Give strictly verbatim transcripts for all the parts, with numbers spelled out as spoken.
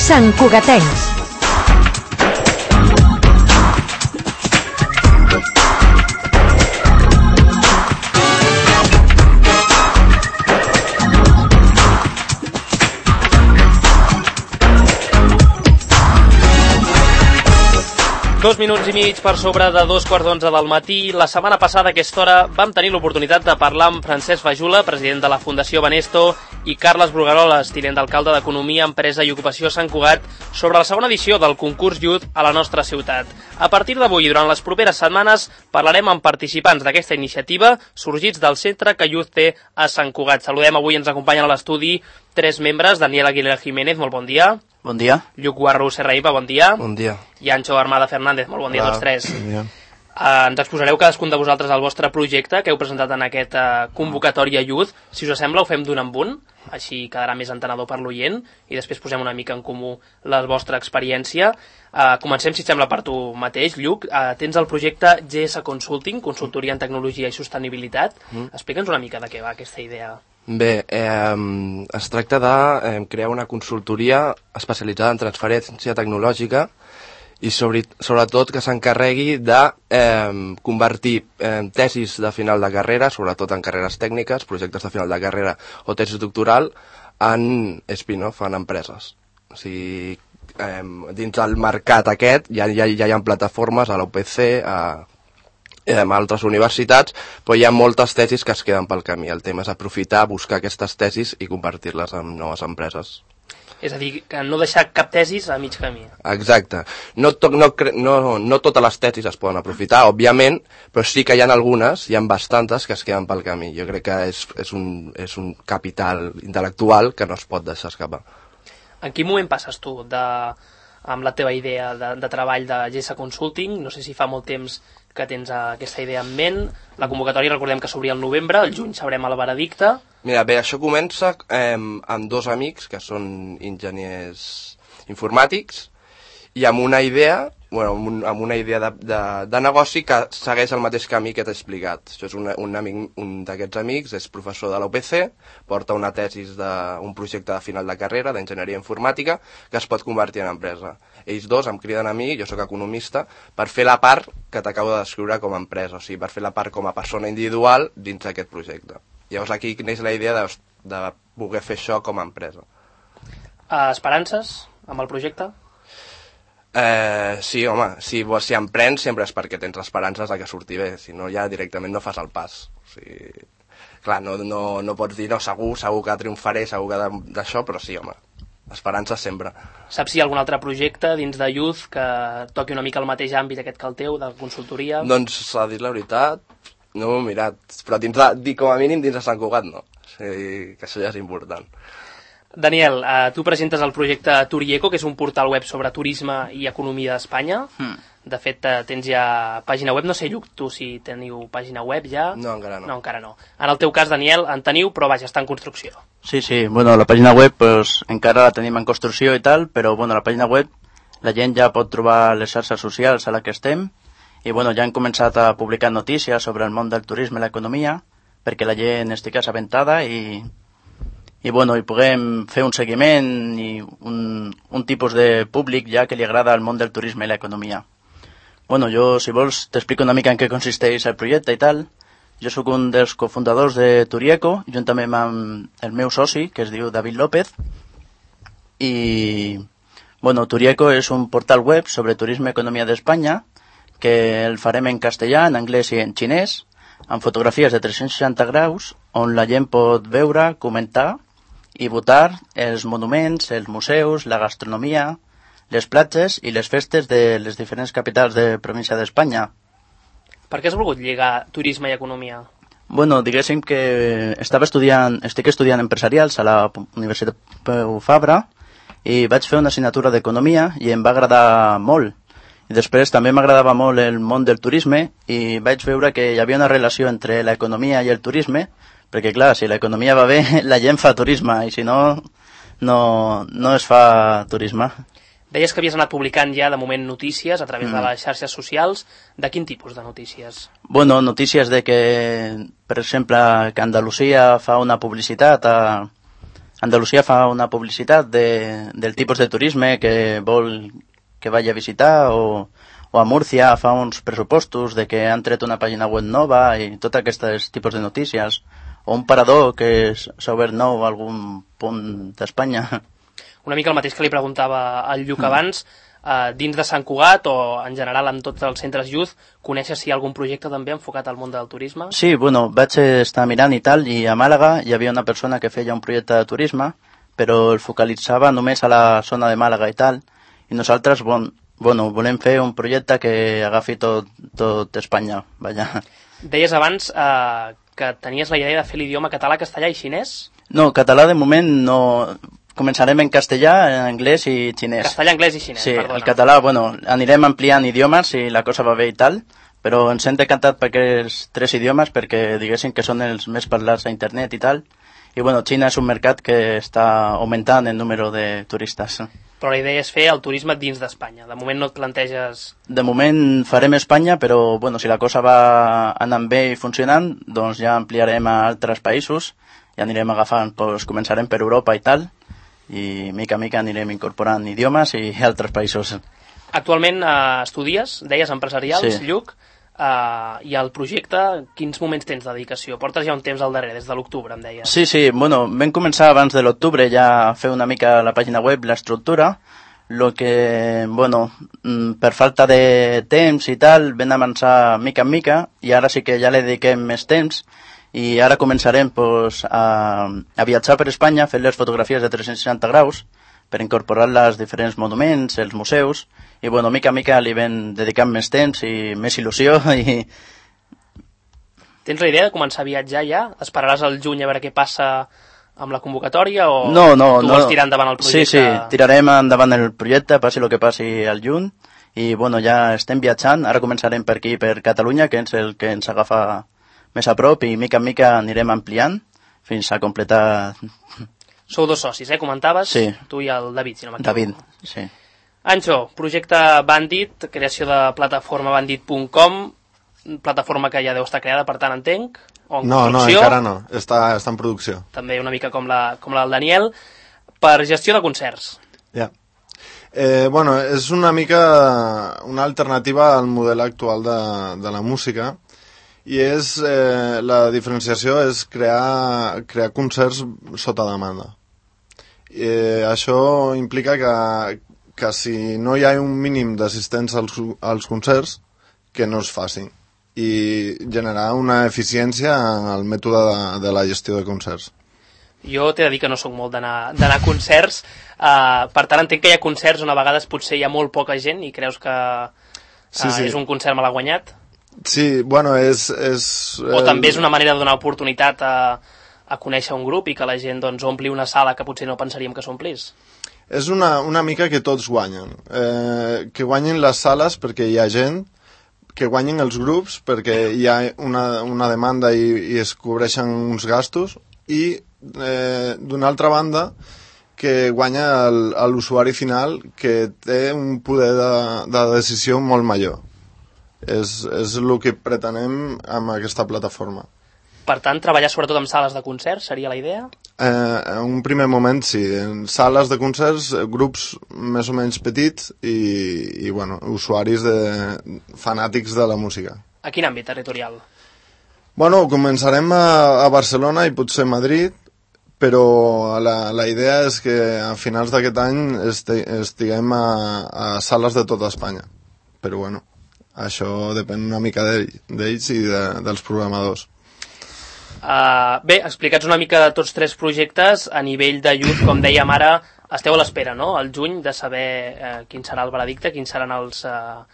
Santcugatencs. Dos minuts i mig per sobre de dos quarts d'onze del matí. La setmana passada a aquesta hora vam tenir l'oportunitat de parlar amb Francesc Fajula, president de la Fundació Banesto, i Carles Brugaroles, tinent d'alcalde d'Economia, Empresa i Ocupació Sant Cugat, sobre la segona edició del concurs Youth a la nostra ciutat. A partir d'avui i durant les properes setmanes parlarem amb participants d'aquesta iniciativa sorgits del centre que Youth té a Sant Cugat. Saludem, avui ens acompanyen a l'estudi tres membres. Daniel Aguilera Jiménez, molt bon dia. Bon dia. Lluc Guarro Serraïpa, bon dia. Bon dia. I Anxo Armada Fernández, molt bon dia a tots tres. Bon dia. Uh, ens exposareu cadascun de vosaltres el vostre projecte que heu presentat en aquesta uh, convocatòria Youth. Si us sembla, ho fem d'un en un, així quedarà més entenedor per l'oient, i després posem una mica en comú la vostra experiència. Uh, comencem, si et sembla, per tu mateix, Lluc. Uh, tens el projecte G S Consulting, Consultoria en Tecnologia i Sostenibilitat. Mm. Explica'ns una mica de què va aquesta idea. Bé, eh, es tracta de eh, crear una consultoria especialitzada en transferència tecnològica i sobre, sobretot que s'encarregui de eh, convertir eh, tesis de final de carrera, sobretot en carreres tècniques, projectes de final de carrera o tesis doctoral, en spin-off, en empreses. O sigui, eh, dins del mercat aquest ja, ja, ja hi ha plataformes a la U P C, a en altres universitats, però hi ha moltes tesis que es queden pel camí. El tema és aprofitar, buscar aquestes tesis i convertir-les en noves empreses. És a dir, que no deixar cap tesis a mig camí. Exacte. No, to, no, no, no totes les tesis es poden aprofitar, òbviament, però sí que hi ha algunes, hi ha bastantes que es queden pel camí. Jo crec que és, és, un, és un capital intel·lectual que no es pot deixar escapar. En quin moment passes tu de, amb la teva idea de, de treball de G S Consulting? No sé si fa molt temps que tens aquesta idea en ment. La convocatòria, recordem que s'obria al novembre, al juny sabrem el veredicte. Mira, bé, això comença eh, amb dos amics que són enginyers informàtics i amb una idea, bueno, amb, un, amb una idea de, de, de negoci que segueix el mateix camí que t'he explicat. Això és un, un, amic, un d'aquests amics, és professor de la U P C, porta una tesis d'un projecte de final de carrera d'enginyeria informàtica que es pot convertir en empresa. Ells dos em criden a mi, jo sóc economista, per fer la part que t'acabo de descriure com a empresa, o sigui, per fer la part com a persona individual dins d'aquest projecte. Llavors aquí neix la idea de, de voler fer això com a empresa. Uh, esperances amb el projecte? Eh, sí, home, si, si emprens sempre és perquè tens esperances de que surti bé, si no ja directament no fas el pas. O sigui, clar, no, no, no pots dir, no, segur, segur que triomfaré, segur que d'això, però sí, home, esperances sempre. Saps si hi ha algun altre projecte dins de Youth que toqui una mica el mateix àmbit aquest que el teu, de consultoria? Doncs, a dir la veritat, no ho he mirat, però dins de, com a mínim dins de Sant Cugat no, o sigui, que això ja és important. Daniel, eh, tu presentes el projecte Turieco, que és un portal web sobre turisme i economia d'Espanya. Mm. De fet, eh, tens ja pàgina web. No sé, Lluc, tu si teniu pàgina web ja? No, encara no. No, encara no. En el teu cas, Daniel, en teniu, però vaja, està en construcció. Sí, sí, bueno, la pàgina web pues, encara la tenim en construcció i tal, però bueno, la pàgina web la gent ja pot trobar les xarxes socials a la que estem i bueno, ja han començat a publicar notícies sobre el món del turisme i l'economia perquè la gent estigui assabentada i i bueno, i puguem fer un seguiment i un, un tipus de públic ja que li agrada el món del turisme i l'economia. Bueno, jo, si vols, t'explico una mica en què consisteix el projecte i tal. Jo sóc un dels cofundadors de Turieco, juntament amb el meu soci, que es diu David López, i bueno, Turieco és un portal web sobre turisme i economia d'Espanya que el farem en castellà, en anglès i en xinès, amb fotografies de tres-cents seixanta graus, on la gent pot veure, comentar i votar els monuments, els museus, la gastronomia, les platges i les festes de les diferents capitals de província d'Espanya. Per què has volgut lligar turisme i economia? Bueno, diguéssim que estava estudiant, estic estudiant empresarials a la Universitat Pompeu Fabra i vaig fer una assignatura d'economia i em va agradar molt. I després també m'agradava molt el món del turisme i vaig veure que hi havia una relació entre l'economia i el turisme, perquè clar, si l'economia va bé, la gent fa turisme, i si no, no, no es fa turisme. Deies que havies anat publicant ja de moment notícies a través mm. de les xarxes socials. De quin tipus de notícies? Bueno, notícies de que, per exemple, que Andalusia fa una publicitat a, Andalusia fa una publicitat de, del tipus de turisme que vol que vagi a visitar, o, o a Múrcia fa uns pressupostos de que han tret una pàgina web nova i tot aquests tipus de notícies, o un parador que s'ha obert nou a algun punt d'Espanya. Una mica el mateix que li preguntava al Lluc abans, eh, dins de Sant Cugat o en general en tots els centres youth, coneixes si hi ha algun projecte també enfocat al món del turisme? Sí, bueno, vaig estar mirant i tal, i a Màlaga hi havia una persona que feia un projecte de turisme, però el focalitzava només a la zona de Màlaga i tal, i nosaltres, bon, bueno, volem fer un projecte que agafi tot, tot Espanya, vaja. Deies abans eh, que tenies la idea de fer l'idioma català, castellà i xinès? No, català de moment no. Començarem en castellà, en anglès i xinès. Castellà, anglès i xinès, sí, perdona. El català, bueno, anirem ampliant idiomes si la cosa va bé i tal, però ens hem decantat per aquests tres idiomes perquè diguéssim que són els més parlats a internet i tal. I bueno, Xina és un mercat que està augmentant el número de turistes. Però la idea és fer el turisme dins d'Espanya. De moment no et planteges... De moment farem Espanya, però bueno, si la cosa va anant bé i funcionant, doncs ja ampliarem a altres països i anirem agafant, doncs començarem per Europa i tal, i mica a mica anirem incorporant idiomes i altres països. Actualment eh, estudies, deies empresarials, sí. Lluc, eh, i el projecte, quins moments tens de dedicació? Portes ja un temps al darrere, des de l'octubre, em deies. Sí, sí, bueno, vam començar abans de l'octubre ja a fer una mica la pàgina web, l'estructura, lo que, bueno, per falta de temps i tal, vam avançar mica en mica, i ara sí que ja li dediquem més temps, i ara començarem pues, a, a viatjar per Espanya fent les fotografies de tres-cents seixanta graus per incorporar-les als diferents monuments, els museus, i bueno, mica a mica li vam dedicant més temps i més il·lusió. I... Tens la idea de començar a viatjar ja? Esperaràs al juny a veure què passa amb la convocatòria o no, no, tu no. vols tirar endavant el projecte? Sí, sí, tirarem endavant el projecte, passi el que passi al juny, i bueno, ja estem viatjant, ara començarem per aquí, per Catalunya, que és el que ens agafa més a prop, i mica en mica anirem ampliant fins a completar... Sou dos socis, eh? Comentaves? Sí. Tu i el David, si no m'equivoco. David, sí. Anxo, projecte Bandit, creació de plataforma bandit punt com, plataforma que ja deu estar creada, per tant, entenc, o en no, construcció. No, encara no, està, està en producció. També una mica com la, com la del Daniel, per gestió de concerts. Ja. Yeah. Eh, bueno, és una mica una alternativa al model actual de, de la música, i és, eh, la diferenciació és crear, crear concerts sota demanda. Eh, això implica que, que si no hi ha un mínim d'assistents als, als concerts, que no es facin, i generar una eficiència en el mètode de, de la gestió de concerts. Jo t'he de dir que no sóc molt d'anar a concerts, uh, per tant entenc que hi ha concerts on a vegades potser hi ha molt poca gent i creus que uh, sí, sí. és un concert mal guanyat. Sí, bueno, és... és o també és una manera de donar oportunitat a, a conèixer un grup i que la gent doncs, ompli una sala que potser no pensaríem que s'omplís. És una, una mica que tots guanyen. Eh, que guanyin les sales perquè hi ha gent, que guanyin els grups perquè hi ha una, una demanda i, i es cobreixen uns gastos, i eh, d'una altra banda que guanya l'usuari final, que té un poder de, de decisió molt major. És, és el que pretenem amb aquesta plataforma. Per tant, treballar sobretot amb sales de concerts seria la idea? Eh, en un primer moment sí, en sales de concerts, grups més o menys petits i, i bueno, usuaris de, fanàtics de la música. A quin àmbit territorial? Bueno, començarem a, a Barcelona i potser a Madrid, però la, la idea és que a finals d'aquest any esti, estiguem a, a sales de tota Espanya. Però bueno, això depèn una mica d'ells i de, dels programadors. Uh, bé, explicats una mica de tots tres projectes, a nivell de youth, com dèiem ara, esteu a l'espera, no?, al juny, de saber uh, quin serà el veredicte, quins seran els, uh,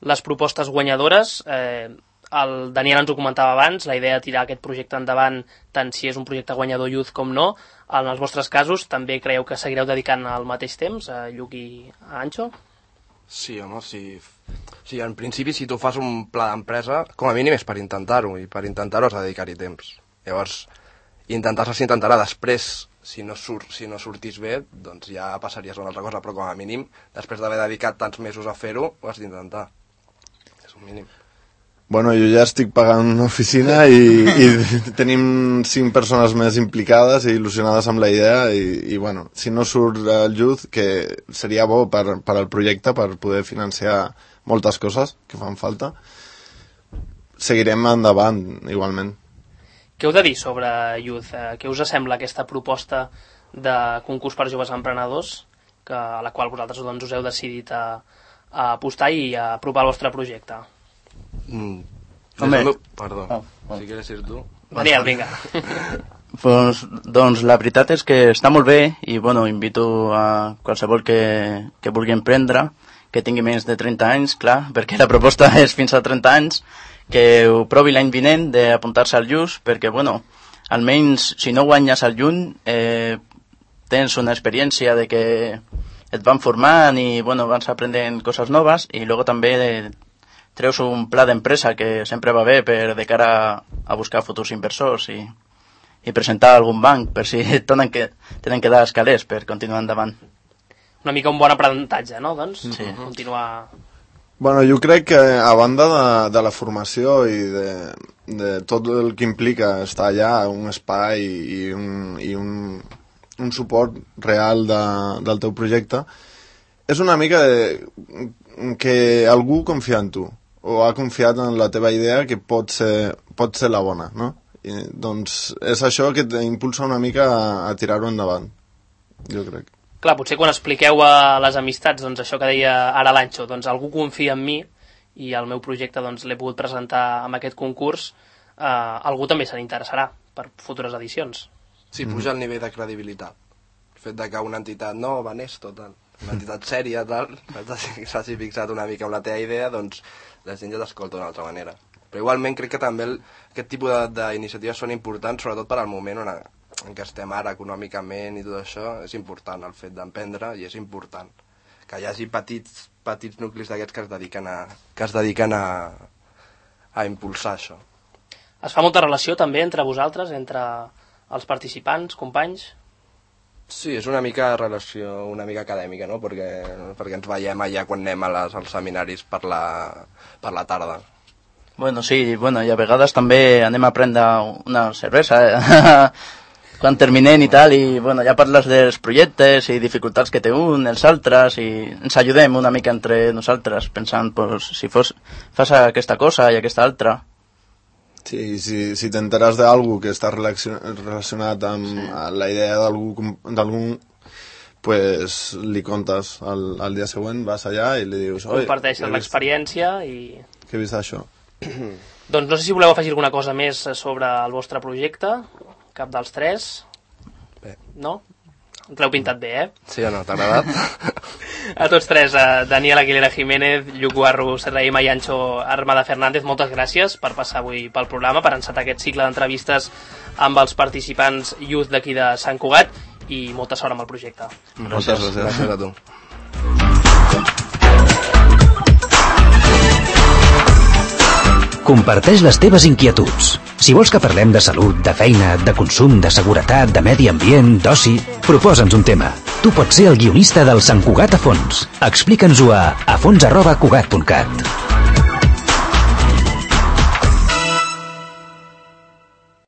les propostes guanyadores. Uh, el Daniel ens ho comentava abans, la idea de tirar aquest projecte endavant, tant si és un projecte guanyador youth com no. En els vostres casos, també creieu que seguireu dedicant al mateix temps, a Lluc i a Anxo? Sí, home, sí. Sí, en principi, si tu fas un pla d'empresa, com a mínim és per intentar-ho, i per intentar-ho has de dedicar-hi temps. Llavors, intentar-se s'intentarà. Després, si no, surt, si no sortís bé, doncs ja passaries a una altra cosa, però com a mínim, després d'haver dedicat tants mesos a fer-ho, ho has d'intentar. És un mínim. Bueno, jo ja estic pagant una oficina i, i tenim cinc persones més implicades i il·lusionades amb la idea i, i bueno, si no surt el Youth, que seria bo per, per al projecte, per poder financiar moltes coses que fan falta, seguirem endavant igualment. Què heu de dir sobre Youth? Què us sembla aquesta proposta de concurs per joves emprenedors que, a la qual vosaltres doncs, us heu decidit a, a apostar i a apropar el vostre projecte? Mm. Home. Meu... Perdó, oh, oh. si quieres ir tu. Daniel, vinga. Pues, doncs la veritat és que està molt bé i bueno, invito a qualsevol que, que vulgui emprendre, que tingui menys de trenta anys, clar, perquè la proposta és fins a trenta anys, que ho provi l'any vinent d'apuntar-se al Youth, perquè bueno, almenys si no guanyes al Youth eh, tens una experiència de que et van formant i bueno, vas aprenent coses noves i luego també de, treus un pla d'empresa que sempre va bé per de cara a buscar futurs inversors i, i presentar algun banc per si tenen que, tenen que dar escalers per continuar endavant. Una mica un bon aprenentatge, no? Doncs sí. Continuar... Bueno, jo crec que a banda de, de la formació i de, de tot el que implica estar allà, un espai i un, i un, un suport real de, del teu projecte, és una mica de, que algú confia en tu o ha confiat en la teva idea que pot ser, pot ser la bona, no? I, doncs és això que t'impulsa una mica a, a tirar-ho endavant, jo crec. Clar, potser quan expliqueu a les amistats doncs això que deia ara l'Anxo, doncs algú confia en mi i el meu projecte doncs l'he pogut presentar amb aquest concurs, eh, algú també se n'interessarà per futures edicions. Sí, puja el nivell de credibilitat. El fet de que una entitat, no, Banesto, tal, una entitat sèria, tal, s'hagi fixat una mica amb la teva idea, doncs la gent ja t'escolta d'una altra manera. Però igualment crec que també el, aquest tipus d'iniciatives són importants, sobretot per al moment on, en què estem ara econòmicament i tot això, és important el fet d'emprendre i és important que hi hagi petits, petits nuclis d'aquests que es dediquen, a, que es dediquen a, a impulsar això. Es fa molta relació també entre vosaltres, entre els participants, companys? Sí, és una mica relació una mica acadèmica, no? Perquè, perquè ens veiem allà quan anem a les, als seminaris per la, per la tarda. Bueno, sí, bueno, i a vegades també anem a prendre una cervesa quan terminem i tal, i bueno, ja parles dels projectes i dificultats que té un, els altres, i ens ajudem una mica entre nosaltres, pensant, pues, si fos, fas aquesta cosa i aquesta altra. Sí, si, si t'enteres d'algú que està relacionat amb sí. la idea d'algú, pues li contes el, el dia següent, vas allà i li dius... Comparteixes l'experiència i... Que he vist això. Doncs no sé si voleu afegir alguna cosa més sobre el vostre projecte, cap dels tres. Bé. No? Ens l'heu pintat bé, eh? Sí o no? T'ha agradat? A tots tres, a Daniel Aguilera Jiménez, Lluc Guarro, Serraima i Anxo Armada Fernández, moltes gràcies per passar avui pel programa, per encetar aquest cicle d'entrevistes amb els participants Youth d'aquí de Sant Cugat i molta sort amb el projecte. Moltes gràcies, gràcies a tu. Comparteix les teves inquietuds. Si vols que parlem de salut, de feina, de consum, de seguretat, de medi ambient, d'oci, proposa'ns un tema. Tu pots ser el guionista del Sant Cugat a fons. Explica'ns-ho a afons arroba cugat punt cat.